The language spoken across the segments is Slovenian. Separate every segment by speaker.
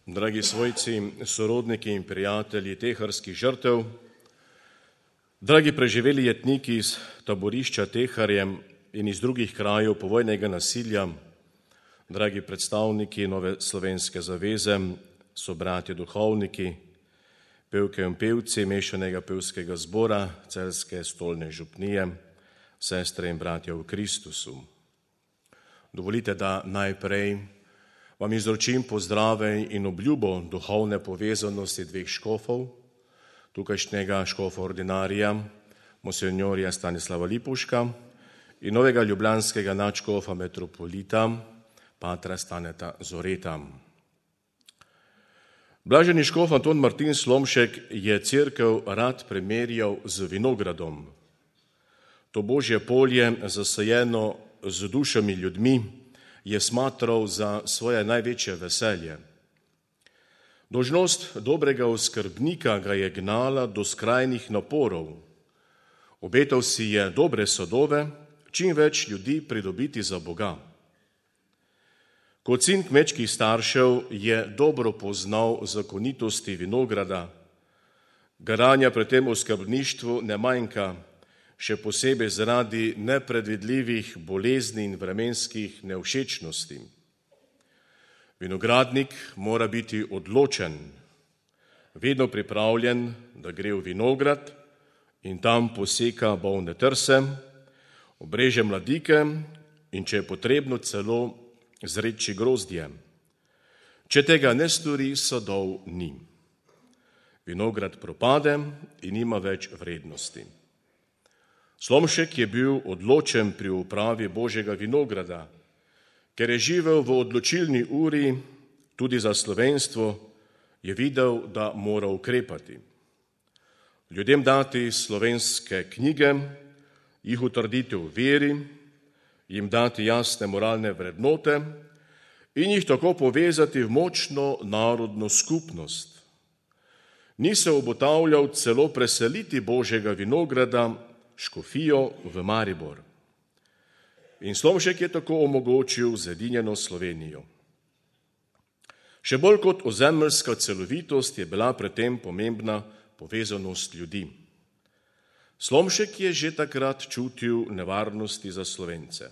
Speaker 1: Dragi svojci, sorodniki in prijatelji teharskih žrtev, dragi preživeli jetniki iz taborišča Teharje in iz drugih krajev povojnega nasilja, dragi predstavniki Nove slovenske zaveze, sobratje duhovniki, pevke in pevci mešanega pevskega zbora Celjske stolne župnije, sestre in bratje v Kristusu. Dovolite, da najprej vam izročim pozdrave in obljubo duhovne povezanosti dveh škofov, tukajšnjega škofa ordinarija, monsinjorja Stanislava Lipuška in novega ljubljanskega nadškofa metropolita, patra Staneta Zoreta. Blaženi škof Anton Martin Slomšek je cerkev rad primerjal z vinogradom. To božje polje, zasajeno z dušami ljudmi, je smatral za svoje največje veselje. Dolžnost dobrega oskrbnika ga je gnala do skrajnih naporov. Obetal si je dobre sadove, čim več ljudi pridobiti za Boga. Kot sin kmečkih staršev je dobro poznal zakonitosti vinograda. Garanja pri tem oskrbništvu ne manjka, še posebej zaradi nepredvidljivih bolezni in vremenskih nevšečnosti. Vinogradnik mora biti odločen, vedno pripravljen, da gre v vinograd in tam poseka bolne trse, obreže mladike in če je potrebno celo zreči grozdje. Če tega ne stori, sadov ni. Vinograd propade in nima več vrednosti. Slomšek je bil odločen pri upravi Božjega vinograda, ker je živel v odločilni uri tudi za slovenstvo, je videl, da mora ukrepati. Ljudem dati slovenske knjige, jih utrditi v veri, jim dati jasne moralne vrednote in jih tako povezati v močno narodno skupnost. Ni se obotavljal celo preseliti Božjega vinograda škofijo v Maribor. In Slomšek je tako omogočil zedinjeno Slovenijo. Še bolj kot ozemeljska celovitost je bila pri tem pomembna povezanost ljudi. Slomšek je že takrat čutil nevarnosti za Slovence.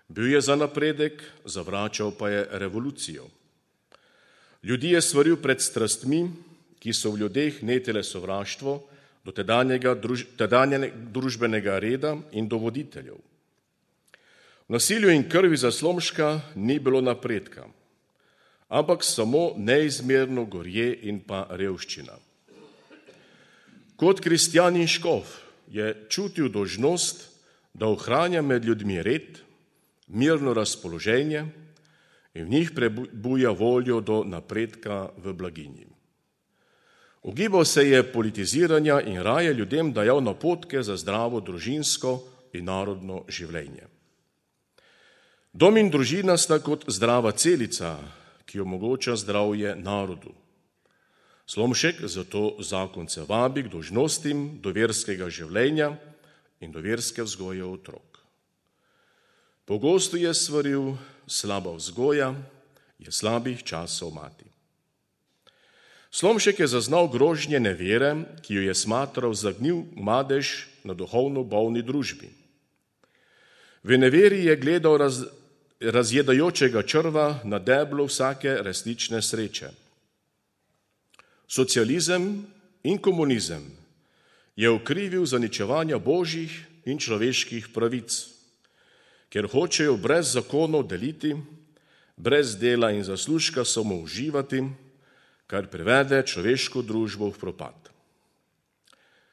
Speaker 1: Bil je za napredek, zavračal pa je revolucijo. Ljudi je svaril pred strastmi, ki so v ljudeh netele sovraštvo do tedanjega družbenega reda in do voditeljev. V nasilju in krvi za Slomška ni bilo napredka, ampak samo neizmerno gorje in pa revščina. Kot kristjan in škof je čutil dolžnost, da ohranja med ljudmi red, mirno razpoloženje in v njih prebuja voljo do napredka v blaginji. Ugibal se je politiziranja in raje ljudem dajal napotke za zdravo družinsko in narodno življenje. Dom in družina sta kot zdrava celica, ki omogoča zdravje narodu. Slomšek zato zakonce vabi k dolžnostim do verskega življenja in do verske vzgoje otrok. Pogosto je svaril, slaba vzgoja je slabih časov mati. Slomšek je zaznal grožnje nevere, ki jo je smatral za gnil madež na duhovno bolni družbi. V neveri je gledal razjedajočega črva na deblo vsake resnične sreče. Socializem in komunizem je ukrivil zaničevanja božjih in človeških pravic, ker hočejo brez zakonov deliti, brez dela in zaslužka samo uživati, kar privede človeško družbo v propad.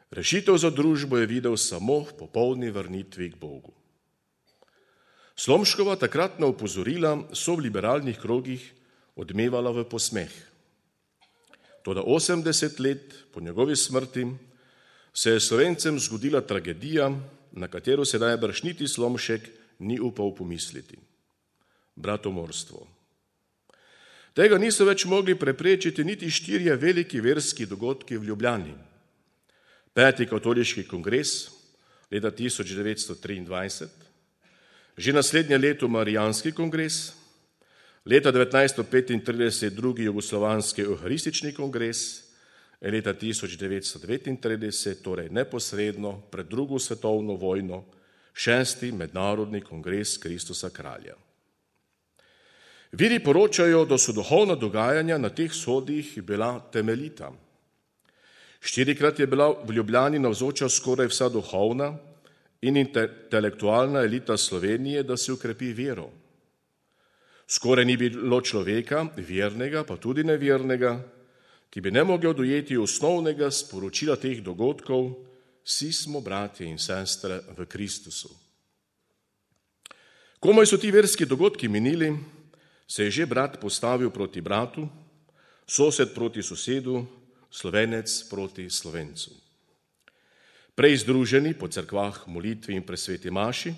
Speaker 1: Rešitev za družbo je videl samo v popolni vrnitvi k Bogu. Slomškova takratna opozorila so v liberalnih krogih odmevala v posmeh. Toda 80 let po njegovi smrti se je Slovencem zgodila tragedija, na katero se najbrž niti Slomšek ni upal pomisliti. Bratomorstvo. Tega niso več mogli preprečiti niti 4 veliki verski dogodki v Ljubljani. 5. katoliški kongres leta 1923, že naslednje leto Marijanski kongres, Leta 1935 drugi jugoslovanski euharistični kongres, leta 1939, torej neposredno pred drugo svetovno vojno, 6. mednarodni kongres Kristusa kralja. Viri poročajo, da so duhovna dogajanja na teh shodih bila temeljita. 4-krat je bila v Ljubljani navzoča skoraj vsa duhovna in intelektualna elita Slovenije, da se ukrepi vero. Skoraj ni bilo človeka, vernega, pa tudi nevernega, ki bi ne mogel dojeti osnovnega sporočila teh dogodkov: vsi smo bratje in sestre v Kristusu. Komaj so ti verski dogodki minili, se je že brat postavil proti bratu, sosed proti sosedu, Slovenec proti Slovencu. Prej združeni po cerkvah, molitvi in presveti maši,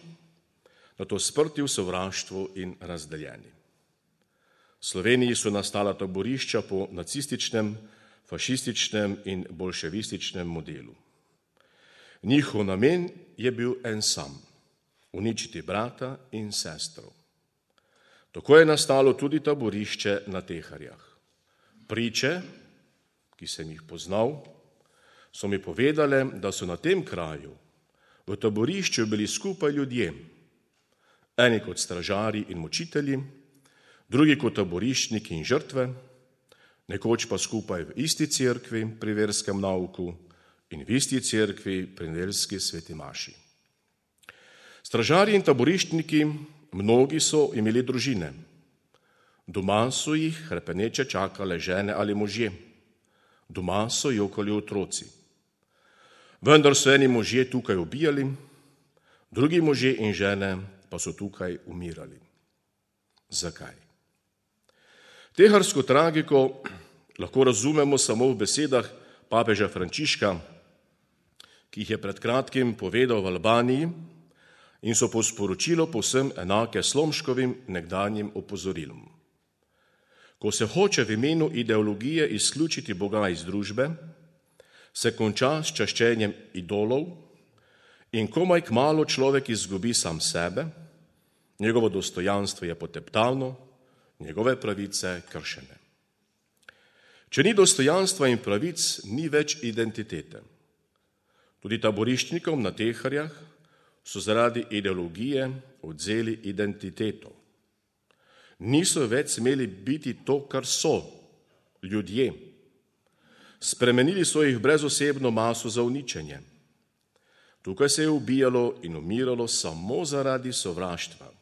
Speaker 1: nato sprti v sovraštvu in razdeljeni. V Sloveniji so nastala taborišča po nacističnem, fašističnem in bolševističnem modelu. Njihov namen je bil en sam: uničiti brata in sestro. Tako je nastalo tudi taborišče na Teharjah. Priče, ki sem jih poznal, so mi povedale, da so na tem kraju v taborišču bili skupaj ljudje, eni kot stražarji in mučitelji, drugi kot taboriščniki in žrtve, nekoč pa skupaj v isti cerkvi pri verskem nauku in v isti cerkvi pri nedeljski sveti maši. Stražarji in taboriščniki, mnogi so imeli družine. Doma so jih hrepeneče čakale žene ali možje. Doma so jokali otroci. Vendar so eni možje tukaj ubijali, drugi možje in žene pa so tukaj umirali. Zakaj? Teharsko tragiko lahko razumemo samo v besedah papeža Frančiška, ki jih je pred kratkim povedal v Albaniji in so po sporočilu povsem enake Slomškovim nekdanjim opozorilom. Ko se hoče v imenu ideologije izključiti Boga iz družbe, se konča s čaščenjem idolov in komaj kmalu človek izgubi sam sebe, njegovo dostojanstvo je poteptano, njegove pravice kršene. Če ni dostojanstva in pravic, ni več identitete. Tudi taboriščnikom na Teharjah so zaradi ideologije odvzeli identiteto. Niso več smeli biti to, kar so, ljudje. Spremenili so jih v brezosebno maso za uničenje. Tukaj se je ubijalo in umiralo samo zaradi sovraštva.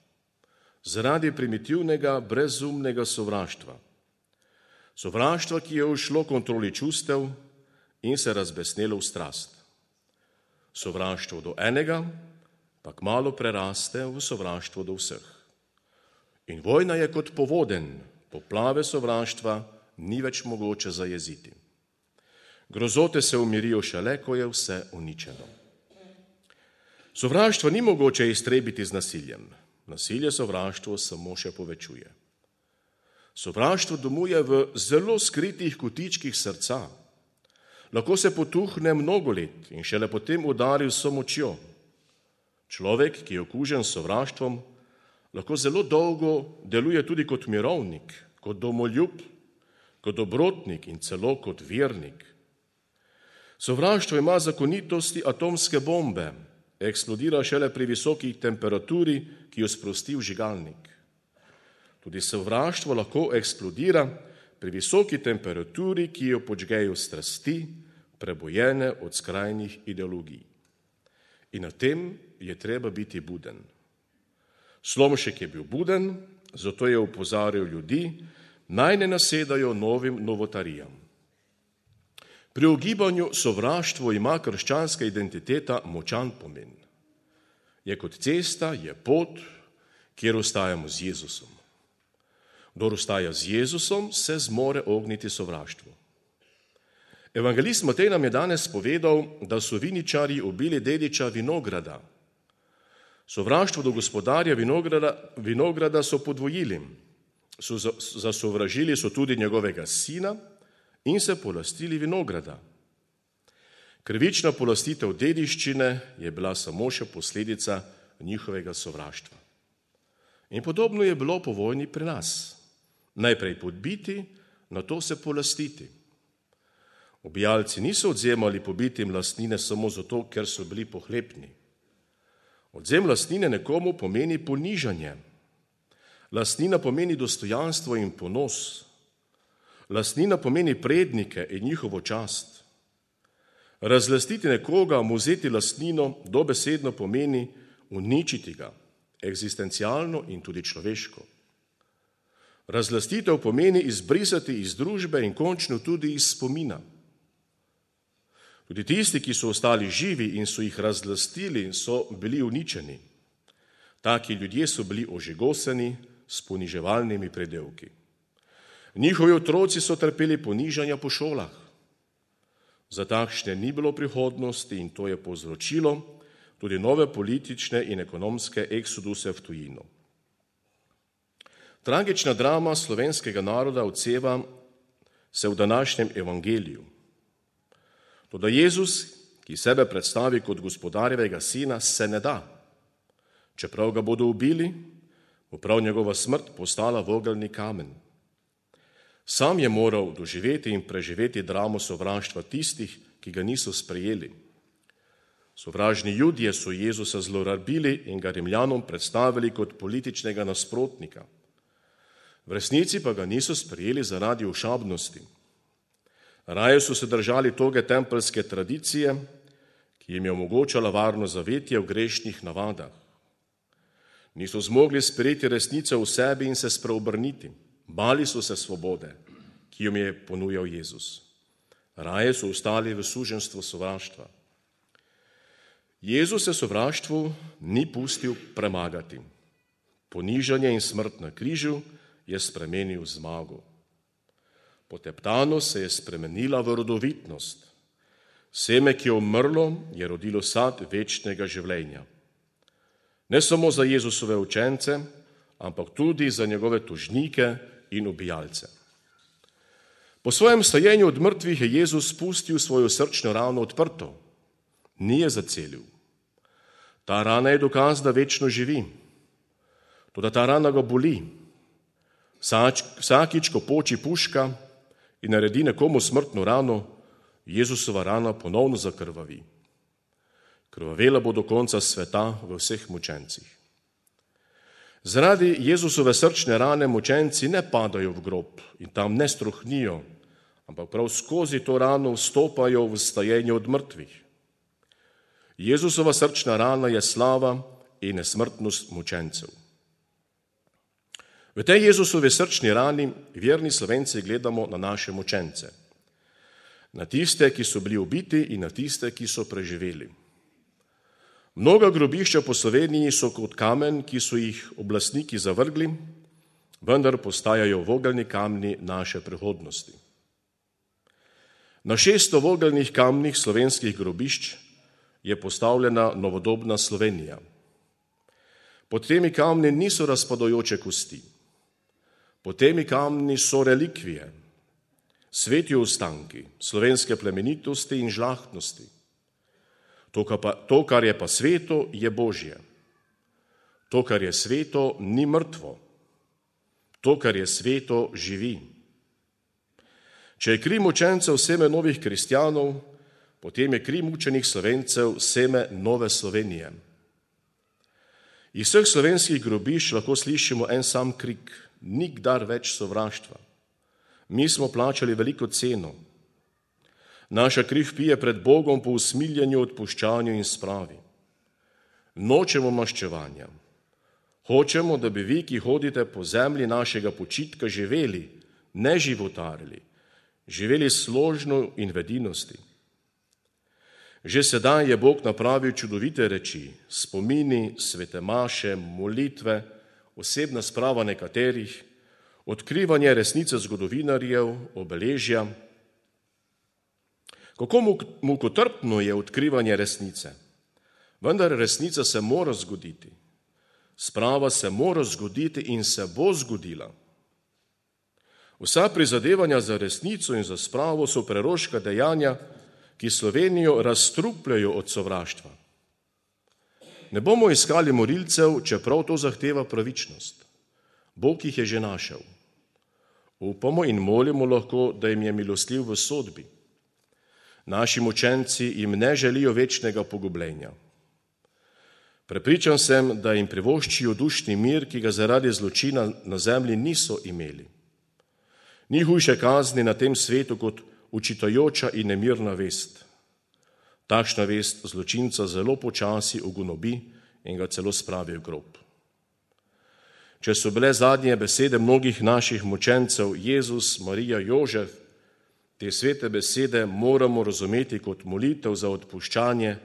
Speaker 1: Zaradi primitivnega, brezumnega sovraštva. Sovraštva, ki je ušlo kontroli čustev in se razbesnelo v strast. Sovraštvo do enega pa kmalu preraste v sovraštvo do vseh. In vojna je kot povodenj, poplave sovraštva ni več mogoče zajeziti. Grozote se umirijo šele, ko je vse uničeno. Sovraštvo ni mogoče iztrebiti z nasiljem. Nasilje sovraštvo samo še povečuje. Sovraštvo domuje v zelo skritih kotičkih srca. Lahko se potuhne mnogo let in šele potem udari vso močjo. Človek, ki je okužen s sovraštvom, lahko zelo dolgo deluje tudi kot mirovnik, kot domoljub, kot dobrotnik in celo kot vernik. Sovraštvo ima zakonitosti atomske bombe, eksplodira šele pri visoki temperaturi, ki jo sprosti vžigalnik. Tudi sovraštvo lahko eksplodira pri visoki temperaturi, ki jo podžgejo strasti, prebojene od skrajnih ideologij. In na tem je treba biti buden. Slomšek je bil buden, zato je opozarjal ljudi, naj ne nasedajo novim novotarijam. Pri ugibanju sovraštvo ima krščanska identiteta močan pomen. Je kot cesta, je pot, kjer ostajamo z Jezusom. Kdor ostaja z Jezusom, se zmore ogniti sovraštvu. Evangelist Matej nam je danes povedal, da so viničarji ubili dediča vinograda. Sovraštvo do gospodarja vinograda so podvojili. Zasovražili so tudi njegovega sina in se polastili vinograda. Krivična polastitev dediščine je bila samo še posledica njihovega sovraštva. In podobno je bilo po vojni pri nas. najprej podbiti, nato se polastiti. Ubijalci niso odvzemali pobitim lastnine samo zato, ker so bili pohlepni. Odvzem lastnine nekomu pomeni ponižanje. Lastnina pomeni dostojanstvo in ponos. Lastnina pomeni prednike in njihovo čast. Razlastiti nekoga, mu vzeti lastnino, dobesedno pomeni uničiti ga, eksistencialno in tudi človeško. Razlastitev pomeni izbrisati iz družbe in končno tudi iz spomina. Tudi tisti, ki so ostali živi in so jih razlastili, so bili uničeni. Taki ljudje so bili ožigosani s poniževalnimi predevki. Njihovi otroci so trpeli ponižanja po šolah. Za takšne ni bilo prihodnosti in to je povzročilo tudi nove politične in ekonomske eksoduse v tujino. Tragična drama slovenskega naroda odseva se v današnjem evangeliju. Toda Jezus, ki sebe predstavi kot gospodarjevega sina, se ne da. Čeprav ga bodo ubili, bo prav njegova smrt postala vogelni kamen. Sam je moral doživeti in preživeti dramo sovraštva tistih, ki ga niso sprejeli. Sovražni Judje so Jezusa zlorabili in ga Rimljanom predstavili kot političnega nasprotnika. V resnici pa ga niso sprejeli zaradi ošabnosti. Raje so se držali toge tempeljske tradicije, ki jim je omogočala varno zavetje v grešnih navadah. Niso zmogli sprejeti resnice v sebi in se spreobrniti. Bali so se svobode, ki jim je ponujal Jezus. Raje so ostali v suženjstvu sovraštva. Jezus se sovraštvu ni pustil premagati. Ponižanje in smrt na križu je spremenil v zmago. Poteptanost se je spremenila v rodovitnost. Seme, ki je umrlo, je rodilo sad večnega življenja. Ne samo za Jezusove učence, ampak tudi za njegove tožnike in ubijalce. Po svojem stajenju od mrtvih je Jezus pustil svojo srčno rano odprto. Ni je zacelil. Ta rana je dokaz, da večno živi. Toda ta rana ga boli. Vsakič, ko poči puška in naredi nekomu smrtno rano, Jezusova rana ponovno zakrvavi. Krvavela bo do konca sveta v vseh mučencih. Zaradi Jezusove srčne rane mučenci ne padajo v grob in tam ne strohnijo, ampak prav skozi to rano vstopajo v stajenje od mrtvih. Jezusova srčna rana je slava in nesmrtnost mučencev. V tej Jezusovi srčni rani verni Slovenci gledamo na naše mučence. Na tiste, ki so bili ubiti in na tiste, ki so preživeli. Mnoga grobišča po Sloveniji so kot kamen, ki so jih oblastniki zavrgli, vendar postajajo vogelni kamni naše prihodnosti. Na 600 vogelnih kamnih slovenskih grobišč je postavljena novodobna Slovenija. Pod temi kamni niso razpadajoče kosti. Pod temi kamni so relikvije, sveti ostanki slovenske plemenitosti in žlahtnosti. To, kar je pa sveto, je Božje. To, kar je sveto, ni mrtvo. To, kar je sveto, živi. Če je kri mučencev seme novih kristjanov, potem je kri mučenih Slovencev seme nove Slovenije. Iz vseh slovenskih grobišč lahko slišimo en sam krik: nikdar več sovraštva. Mi smo plačali veliko ceno. Naša kri vpije pred Bogom po usmiljenju, odpuščanju in spravi. Nočemo maščevanja. Hočemo, da bi vi, ki hodite po zemlji našega počitka, živeli, ne životarili, živeli složno in v edinosti. Že sedaj je Bog napravil čudovite reči, spomini, svete maše, molitve, osebna sprava nekaterih, odkrivanje resnice zgodovinarjev, obeležja. Kako mukotrpno je odkrivanje resnice, vendar resnica se mora zgoditi. Sprava se mora zgoditi in se bo zgodila. Vsa prizadevanja za resnico in za spravo so preroška dejanja, ki Slovenijo razstrupljajo od sovraštva. Ne bomo iskali morilcev, čeprav to zahteva pravičnost. Bog jih je že našel. Upamo in molimo lahko, da jim je milostljiv v sodbi. Naši mučenci jim ne želijo večnega pogubljenja. Prepričan sem, da jim privoščijo dušni mir, ki ga zaradi zločina na zemlji niso imeli. Ni hujše kazni na tem svetu kot učitajoča in nemirna vest. Takšna vest zločinca zelo počasi ugonobi in ga celo spravi v grob. Če so bile zadnje besede mnogih naših mučencev Jezus, Marija, Jožef, te svete besede moramo razumeti kot molitev za odpuščanje.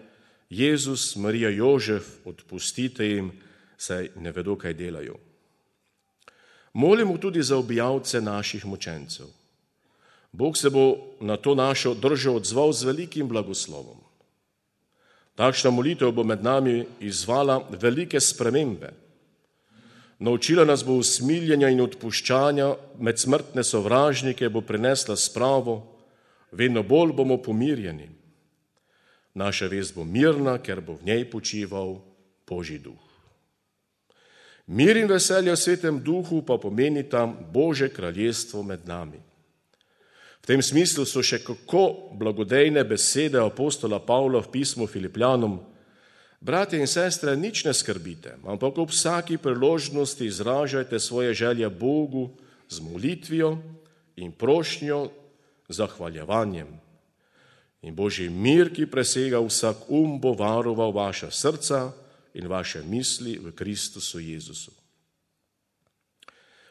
Speaker 1: Jezus, Marija, Jožef, odpustite jim, saj ne vedo, kaj delajo. Molimo tudi za ubijalce naših mučencev. Bog se bo na to našo držo odzval z velikim blagoslovom. Takšna molitev bo med nami izvala velike spremembe. Naučila nas bo usmiljenja in odpuščanja, med smrtne sovražnike bo prinesla spravo, vedno bolj bomo pomirjeni. Naša vest bo mirna, ker bo v njej počival Božji duh. Mir in veselje v svetem duhu pa pomenita Božje kraljestvo med nami. V tem smislu so še kako blagodejne besede apostola Pavla v pismu Filipljanom: Bratje in sestre, nič ne skrbite, ampak ob vsaki priložnosti izražajte svoje želje Bogu z molitvijo in prošnjo, zahvaljevanjem. In Božji mir, ki presega vsak bo varoval vaša srca in vaše misli v Kristusu Jezusu.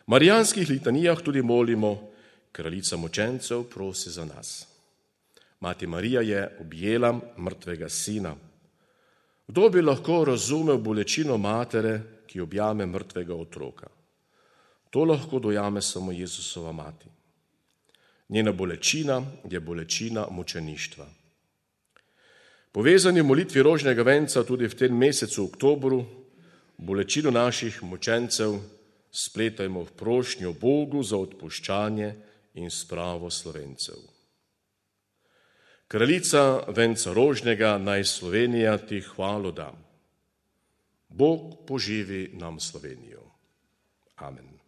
Speaker 1: V marijanskih litanijah tudi molimo: Kraljica mučencev prosi za nas. Mati Marija je objela mrtvega sina. Kdo bi lahko razumel bolečino matere, ki objame mrtvega otroka? To lahko dojame samo Jezusova mati. Njena bolečina je bolečina mučeništva. Povezani v molitvi rožnega venca tudi v tem mesecu oktobru bolečino naših mučencev spletajmo v prošnjo Bogu za odpuščanje in spravo Slovencev. Kraljica venca rožnega, naj Slovenija ti hvalo da. Bog poživi nam Slovenijo. Amen.